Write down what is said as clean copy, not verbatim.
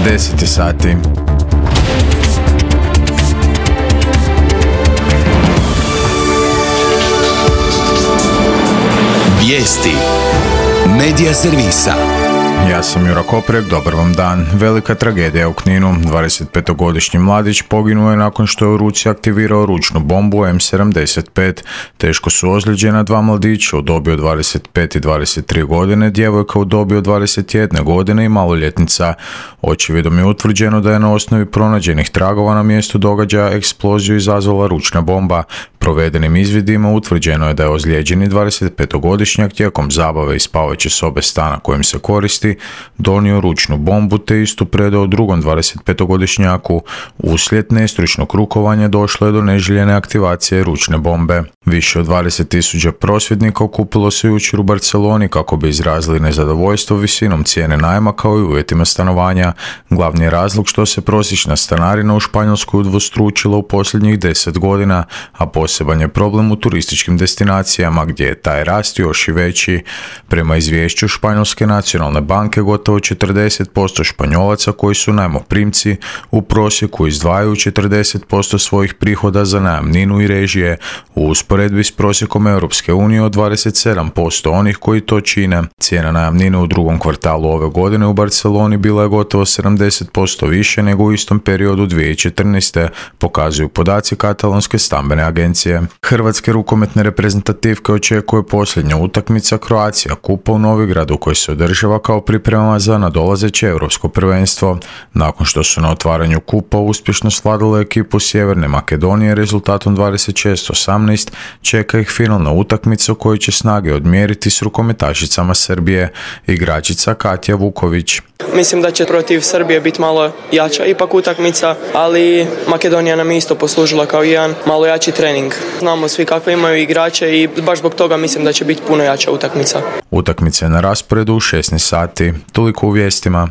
10 sati. Vijesti Medija servisa. Ja sam Jura Koprek, dobar vam dan. Velika tragedija u Kninu. 25-godišnji mladić poginuo je nakon što je u ruci aktivirao ručnu bombu M75. Teško su ozlijeđena dva mladića u dobi od 25 i 23 godine, djevojka u dobi od 21 godine i maloljetnica. Očevidom je utvrđeno da je na osnovi pronađenih tragova na mjestu događaja eksploziju izazvala ručna bomba. Provedenim izvidima utvrđeno je da je ozlijeđeni 25-godišnjak tijekom zabave iz spavaće sobe stana kojim se koristi donio ručnu bombu te istu predao drugom 25-godišnjaku. Uslijed nestručnog rukovanja došlo je do neželjene aktivacije ručne bombe. Više od 20.000 prosvjednika okupilo se jučer u Barceloni kako bi izrazili nezadovoljstvo visinom cijene najma kao i uvjetima stanovanja. Glavni je razlog što se prosječna stanarina u Španjolskoj udvostručila u posljednjih 10 godina, a poseban je problem u turističkim destinacijama gdje je taj rast još i veći. Prema izvješću Španjolske nacionalne banke, gotovo 40% Španjolaca koji su najmoprimci u prosjeku izdvajaju 40% svojih prihoda za najamninu i režije, u usporedbi s prosjekom Europske unije od 27% onih koji to čine. Cijena najamnine u drugom kvartalu ove godine u Barceloni bila je gotovo 70% više nego u istom periodu 2014. pokazuju podaci katalonske stambene agencije. Hrvatske rukometne reprezentativke očekuje posljednja utakmica Croatia Kupa u Novigradu koji se održava kao priprema za nadolazeće europsko prvenstvo. Nakon što su na otvaranju kupa uspješno svladale ekipu Sjeverne Makedonije rezultatom 26-18, čeka ih finalna utakmica u kojoj će snage odmjeriti s rukometašicama Srbije. Igračica Katja Vuković. Mislim da će protiv Srbije biti malo jača ipak utakmica, ali Makedonija nam je isto poslužila kao jedan malo jači trening. Znamo svi kakve imaju igrače i baš zbog toga mislim da će biti puno jača utakmica. Utakmica je na rasporedu u 16 sati. Toliko u vijestima.